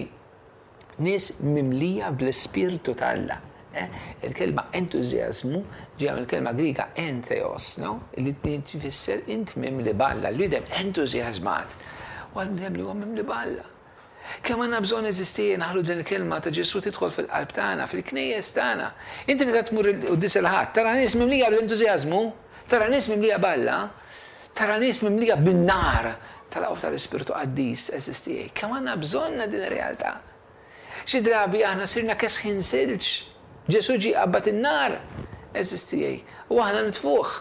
Speaker 3: nies mimlija bl-Ispirtu t'Alla. Eh? Il-kelma entużjażmu ġejja mill-kelma Griega entheos, no? Li tfisser int mimli b'Alla, l-bniedem entużjażmat. U għal-bniedem li huwa mimli b'Alla. Kemm għandna bżonn eżisti naħlu din il-kelma ta' Ġesù tidħol fil-qalb tagħna, fil-knejjes tagħna. Inti meta tmur il-quddies il-Ħadd, tara nies mimlija bl-entużjażmu, tara nies mimlija b'Alla, tara nies mimlija bin-nar tal-qawwa tal-Ispirtu Qaddis eżisti. Kemm għandna bżonna din ir-realtà. Xi drabi aħna sirna kesħin silġ. Ġesù ġie qabad in-nar eżisti u aħna nitfuh.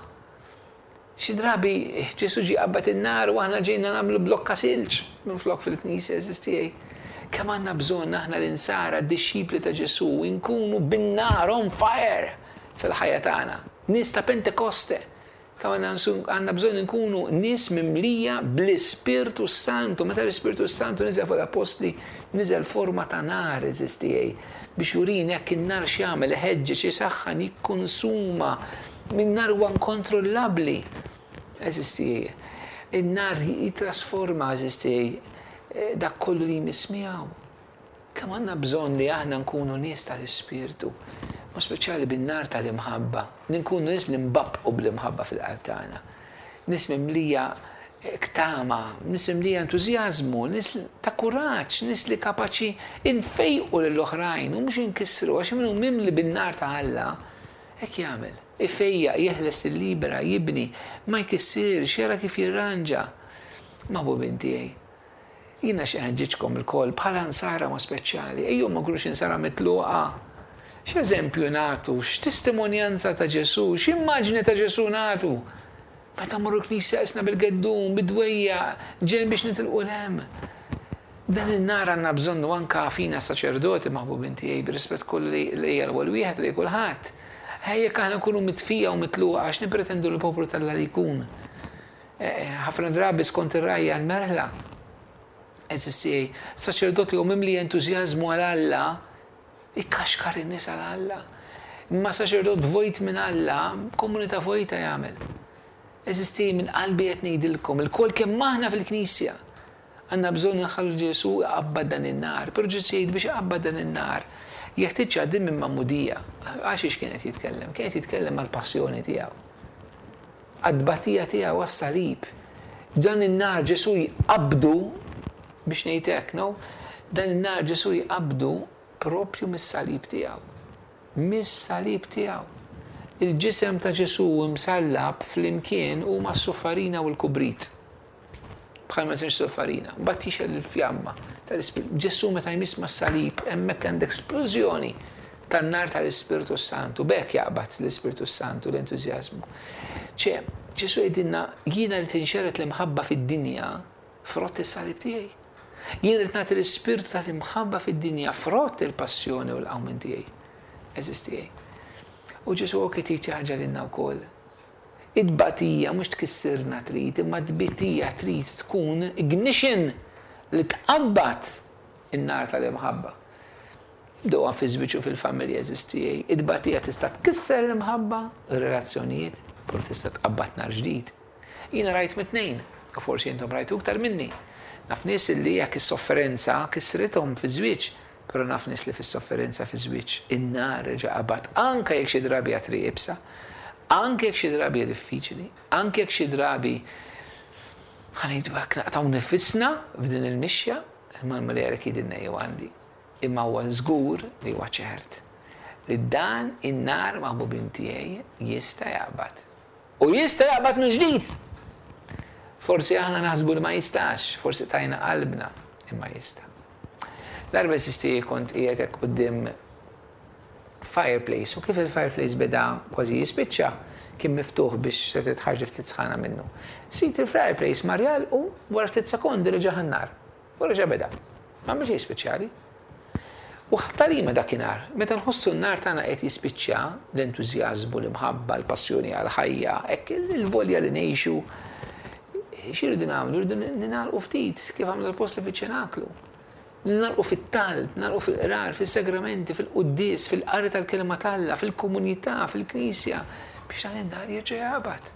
Speaker 3: Xi drabi Ġesù ġie qabad in-nar u aħna ġejna nagħmlu blokka silġ minflok fil-knisja eżisti. Kemm għandna bżonn aħna l-insara d-dixxipli ta' Ġesù nkunu bin-nar on fire fil-ħajja tagħna. Nies ta' Pentekoste. Kemm għandna bżonn nkunu nies mimlija bl-Ispirtu Santu. Meta l-Ispirtu Santu niżel fuq l-apostli, niżel forma ta' nar eżisti biex jurini jekk in-nar x'jagħmel, iħeġġeġ, isaħħan, jikkonsuma. Min-nar huwa inkontrollabbli. Eżisti. In-nar jitrasforma, eżisti, dak kollu li jmiss miegħu. Kemm għandna bżonn li aħna nkunu nies tal-Ispirtu, ma speċjali bin-nar tal-imħabba, li nkunu nies li nbabbqu bl-imħabba fil-qalb tagħna. Nies mimlija ktama, nies mimlija entużjażmu, nies ta' kuraġġ, nies li kapaċi infejqu lill-oħrajn u mhux inkissru, għax minnu mimli bin-nar ta' Alla, hekk jagħmel. Ifejjaq, jeħles il-libera, jibni, ma jkissirx, jara kif jirranġa. Maħbubin tiegħi, jiena xi ħeġġiġkom ilkoll bħala nsara ma speċjali, ejjew ma nkunux insara mitluqa. X'eżempju nagħtu, x'testimonjanza ta' Ġesù, x'immaġni ta' Ġesù nagħtu. Meta mmorru l-knisja isna bil-geddum, bid-dwejja, ġejn biex nitilqu l-hemm. Dan in-nar għandna bżonnu anka fina saċerdoti maħbubin tiegħi, bir-rispett kollu li hija l-ewwel wieħed li kulħadd. Ejja jekk aħna nkunu mitfija u mitluqa għax nippretendu l-poplu tal-Alla li jkun. Ħafna drabi skont ir-rajja l-merħla. Eżisti, saċerdot li hu mimli entużjażmu għal Alla, ikkaxkar in-nies għal Alla. Imma saċerdot vojt minn Alla, komunità vojta jagħmel. Eżisti, minn qalbi qed ngħidilkom, ilkoll kemm aħna fil-Knisja għandna bżonn nħallu Ġesù jqabbad dan in-nar, però Ġesù jgħid biex iqabbad dan in-nar, Jeħtieġ jgħaddi minn magħmudija. Għax ix kien qed jitkellem? Kien qed jitkellem għall-passjoni tiegħu. Għad-tbatija tiegħu għas-salib. Dan in-nar Ġesù jqabdu biex ngħid hekk, no? Dan in-nar Ġesù jqabdu propju mis-salib tiegħu. Mis-salib tiegħu. Il-ġisem ta' Ġesù msallab flimkien huma s-suffarina u l-kubrit. Bħal ma tinx suffarina. Mbagħad tixgħel il-fjamma tal-Ispirtu. Ġesù meta jmiss mas-salib hemmhekk għandek splużjoni tan-nar tal-Ispirtu Santu. B'hekk jaqbad l-Ispirtu Santu l-entużjażmu. Ċe, Ġesù jgħidilna jiena li tinxered l-imħabba fid-dinja frott is-salib tiegħi. Jien rrid nagħti l-ispirtu tal-imħabba fid-dinja frott il-passjoni u l-qawmien tiegħi. Għeżież tiegħi. U Ġesù qed jgħid ħaġa lilna wkoll. It-tbatija mhux tkissirna trid, imma t-tbatija trid tkun ignition li tqabbad in-nar tal-imħabba. Ibdew fi żwieġ u fil-familja għeżież tiegħi. It-tbatija tista' tkisser l-imħabba, ir-relazzjonijiet, però tista' tqabbad nar ġdid. Jiena rajt mit-tnejn, u forsi intom rajtu iktar minni. Naf nies li jekk is-sofferenza kisrithom fi żwieġ, però naf nies li fis-sofferenza fi żwieġ in-nar reġa' qabad anke jekk xi drabi għatri iebsa, anke jekk xi drabi diffiċli, anke jekk xi drabi ħa ngħidu hekk naqtgħu nifisna f'din il-mixja, imma l-Mulej għalhekk jgħidilna jew għandi. Imma huwa żgur li huwa ċert li dan in-nar maħbubin tiegħi jista' jaqbad. U jista' jaqbad minn ġdid. Forsi aħna naħsbu li ma jistax, forsi tajna qalbna, imma jista'. Darba sisti kont qiegħed hekk quddiem fireplace, u kif il-fireplace beda kważi jispiċċa, kien miftuħ biex se titħarġ ftit sħana minnu. Sit il-fireplace marjal u wara ftit sekondi reġa' ħan-nar. U reġa' beda. Ma xejn speċjali. U ħtarima dakinhar, meta nħossu n-nar tagħna qed jispiċċa, l-entużjażmu, l-imħabba, l-passjoni għall-ħajja, hekk il-volja li ngħixu, x'irridu nagħmlu? Irridu ningħalqu ftit, kif għamlu l-appostli fiċ-ċenaklu. Ningħalqu fit-talb, ningħalqu fil-qrar, fis-sagramenti, fil-quddies, fil-qari tal-kelma t'Alla, fil-komunità, fil-knisja, biex dan in-nar jerġa' jaqbad.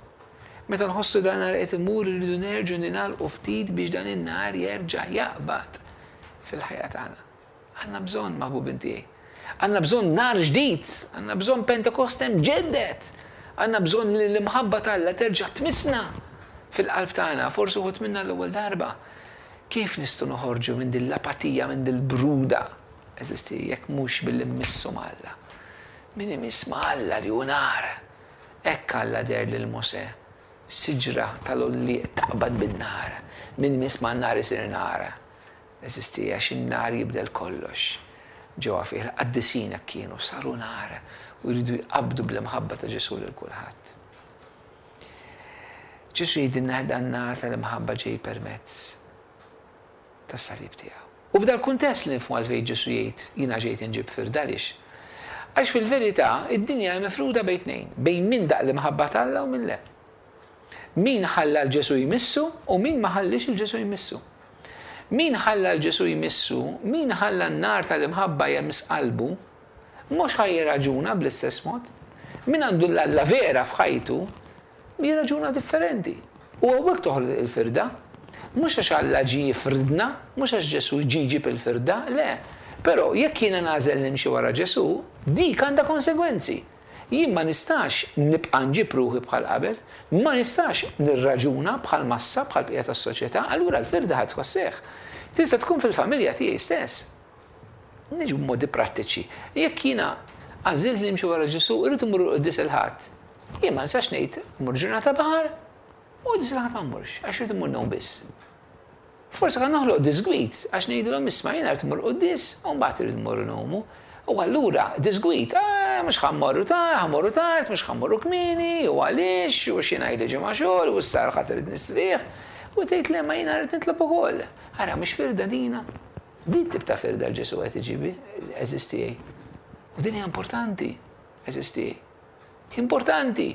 Speaker 3: Meta nħossu dan nar qed imur irridu nerġgħu ningħalqu ftit biex dan in-nar jerġa' jaqbad fil-ħajja tagħna. Għandna bżonn, maħbubin tiegħi. Għandna bżonn nar ġdid, għandna bżonn Pentekoste mġedded. Għandna bżonn li l-imħabba t'Alla terġa' tmissna fil-qalb tagħna, forsi uħud minna l-ewwel darba. Kif nistgħu noħorġu minn din l-apatija, minn din l-bruda? Eżisti, jekk mhux billi mmissu m'Alla. Min imiss ma' Alla li hu nar. Hekk Alla deher lil Mosè, siġra tal-għollieq taqbad bin-nar. Min imiss man-nar isir nar. Eżisti, għax in-nar jibdel kollox. Ġewwa fih il-qaddisin hekk kienu saru nar u jridu jqabdu bl-imħabba ta' Ġesù lil kulħadd. Ġesù jgħidilna dan nar tal-imħabba ġej permezz tas-salib tiegħu. U f'dal kuntest li nifhmu għalfejn Ġesù jgħid jiena ġejt inġib firda għaliex. Għax fil-verità id-dinja hija mifruda bejn tnejn, bejn min daq l-imħabba t'Alla u min le. Min ħalla l Ġesù jmissu u min ma ħallix il Ġesù jmissu. Min ħalla l Ġesù jmissu, min ħalla n-nar tal-imħabba jemiss qalbu, mhux ħa jirraġuna bl-istess mod. Min għandu l-Alla vera f'ħajtu, jirraġuna differenti. U hawnhekk toħroġ il-firda. Mhux għax Alla ġie jifridna, mhux għax Ġesù ġie jġib il-firda, le. Però jekk jiena nagħżel nimxi wara Ġesù, dik għandha konsegwenzi. Jien ma nistax nibqa' nġib ruħi bħal qabel, ma nistax nirraġuna bħal massa, bħal bqija tas-soċjetà, allura l-firda ħadd tħosseħ. Tista' tkun fil-familja tiegħi stess. Niġu b'modi prattiċi. Jekk jiena għażilt li nimxi wara Ġesù, irrid immur quddies il-Ħadd. Jien ma nistax ngħid mmur ġurnata baħar u quddies il-Ħadd ma mmurx, għax irid immur ngħum biss. Forsi kan noħloq disgwid għax ngħidilhom isma' jiena rrid immur quddies u mbagħad irid immur ngħumu. U allura disgwid, ah, mhux ħa mmorru tard, ħa mmorru tard, mhux ħa mmorru kmieni, u għaliex, u x'jiena ili ġimgħa xogħol, u issa ħadd irid nistrieħ. U tgħid le ma jiena rrid nitlob ukoll. Ara mhux firda dina. Din tip ta' firda l Ġesù qed iġibi, għeżież tiegħi. U din hija importanti, għeżież tiegħi. Importanti.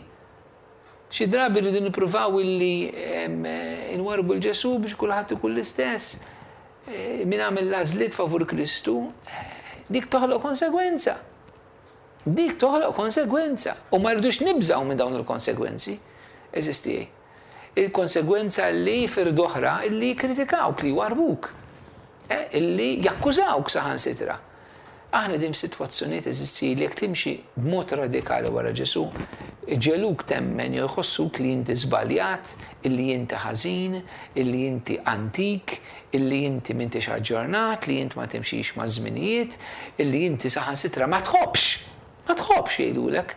Speaker 3: Xi drabi rridu nippruvaw illi nwarbu l Ġesù biex kulħadd ikun l-istess. Min għamel l-għażliet favur Kristu, dik toħloq konsegwenza. Dik toħloq konsegwenza. U ma rridux nibżgħu minn dawn il-konsegwenzi. Għeżież tiegħi. Il-konsegwenza li firda oħra illi kritikawk, li warbuk, eh, illi jakkużawk saħansitra. Aħna din f'sitwazzjonijiet eżisti li jekk timxi b'mod radikali wara Ġesù, ġeluk temmen jew jħossuk li inti żbaljat, illi inti ħażin, illi inti antik, illi inti m'intix aġġornat, li inti ma timxix ma' żminijiet, illi inti saħansitra ma tħobbx. Ma tħobbx jgħidulek,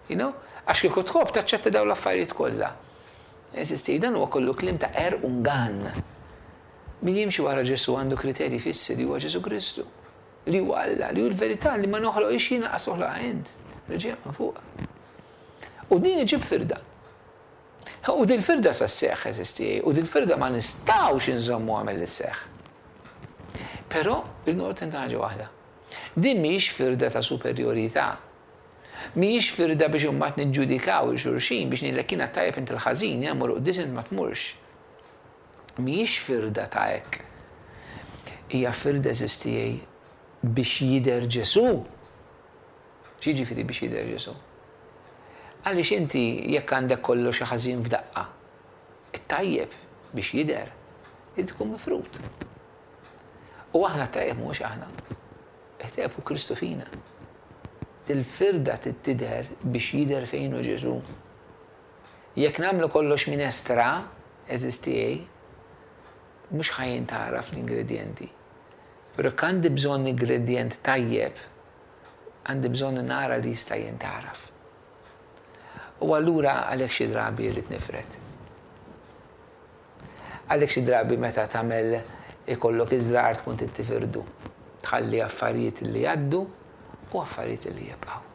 Speaker 3: you know? Għax kieku tħobb taċċetta dawn l-affarijiet kollha. Eżisti, dan huwa kollu kliem ta' qerq u ngann. Min jimxi wara Ġesù għandu kriterji fissi li huwa Ġesù Kristu, li huwa Alla, li hu l-verità li ma noħloqx jiena qas toħloqha int. Reġija minn fuq. U din iġib firda. U din firda sa sseħħ, eżisti, u din firda ma nistgħux inżommu għamel li sseħħ. Però il-noqgħod inta ħaġa waħda. Din mhijiex firda ta' superjorità. Mhijiex firda biex imbagħad niġġudikaw il xulxin biex ngħidlek jiena tajjeb int il-ħażin, jiena mmur quddiem int ma tmurx. Mhijiex firda ta' hekk. Hija firda eżistijej biex jidher Ġesù. X'jiġifieri biex jidher Ġesù? Għaliex inti jekk għandek kollox ħażin f'daqqa, it-tajjeb biex jidher irid ikun mifrud. U aħna tajjeb mhux aħna. It-tajjeb hu Kristu fina. Il-firda tidher biex jidher fejn hu Ġesù. Jekk nagħmlu kollox minestra, eżistijej, mhux ħa jintgħaraf l-ingredjenti. Però jekk għandi bżonn ingredjent tajjeb, għandi bżonn nara li jista' jintgħaraf. U allura għalhekk xi drabi rrid nifred. Għalhekk xi drabi meta tagħmel ikollok iż-żrar tkun trid tifirdu. Tħalli affarijiet li jgħaddu u affarijiet li jibqgħu.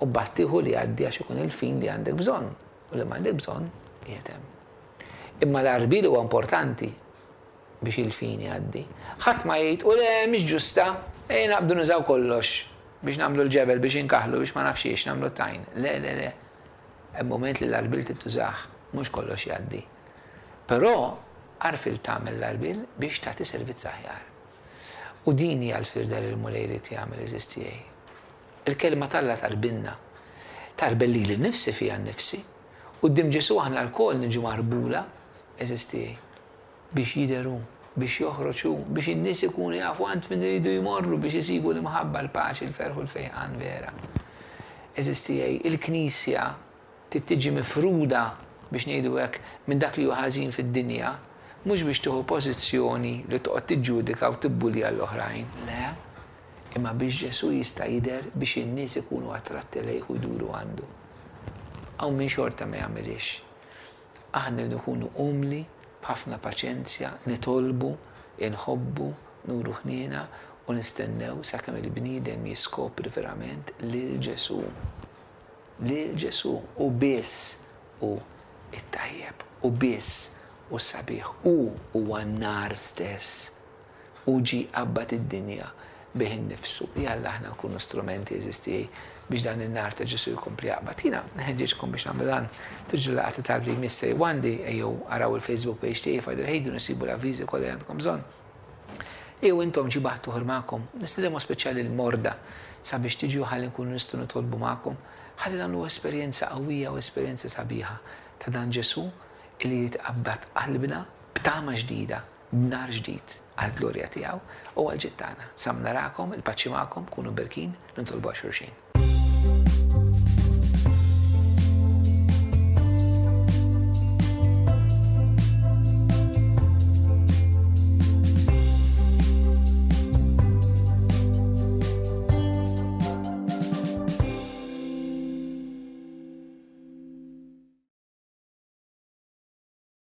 Speaker 3: U mbagħad tieħu li jgħaddi għax ikun il-fin li għandek bżonn u li m'għandek bżonn qiegħed hemm. Imma l-għarbil huwa importanti biex il-fin jgħaddi. Ħadd ma jgħid u le mhix ġusta, ejja naqbdu nużaw kollox biex nagħmlu l-ġebel, biex inkaħlu, biex ma nafx xiex nagħmlu t-tajn. Le, le, le. Hemm moment li l-għarbil tittużah, mhux kollox jgħaddi. Però għarfil tagħmel l-għarbil biex tagħti servizz aħjar. U din hija l-firda li l-Mulej irid jagħmel eżistijej. Il-kelma t'Alla tarbinna. Tarbel lili nnifsi fija nnifsi. Quddiem Ġesù aħna lkoll niġu marbula eżistijej biex jidher hu, biex joħroġ hu, biex in-nies ikunu jafu għand min iridu jmorru biex isibu l-imħabba, l-paċi, l-ferħ u l-fejqan vera. Eżistijej, il-Knisja trid tiġi mifruda biex ngħidu hekk minn dak li hu ħażin fid-dinja, mhux biex tieħu pożizzjoni li toqgħod tiġġudika u tibbulja l-oħrajn, le, imma biex Ġesù jista' jidher biex in-nies ikunu attratti lejh u jduru għandu. Hawn min xorta ma jagħmilix. Aħna rridu nkunu umli, b'ħafna paċenzja, nitolbu, inħobbu, nuru ħniena u nistennew sakemm il-bniedem jiskopri verament lil Ġesù. Lil Ġesù u biss hu it-tajjeb, u biss u sabiħ, u huwa n-nar stess. U ġie qabbad id-dinja bih innifsu. Jalla aħna nkunu strumenti eżisti biex dan in-nar ta' Ġesù jkompli jaqbad. Jiena nħeġġeġkom biex nagħmlu dan. Tiġu laqgħa ta' talb li jmiss għandi, ejjew araw il-Facebook page tiegħi Father Hayden isibu l-avviżi kollha li għandkom bżonn. Ejjew intom ġibu ħadd magħkom, nistiednu speċjali l-morda sabiex tiġu ħalli nkunu nistgħu nitolbu magħkom, ħalli nagħmlu esperjenza qawwija u esperjenza sabiħa ta' dan Ġesù li jitqabbad qalbna b'tama ġdida, b'nar ġdid għall-glorja tiegħu u għall-ġid tagħna. Sam narakom, il-paċi magħkom, kunu berkin, nitolbu għal xulxin.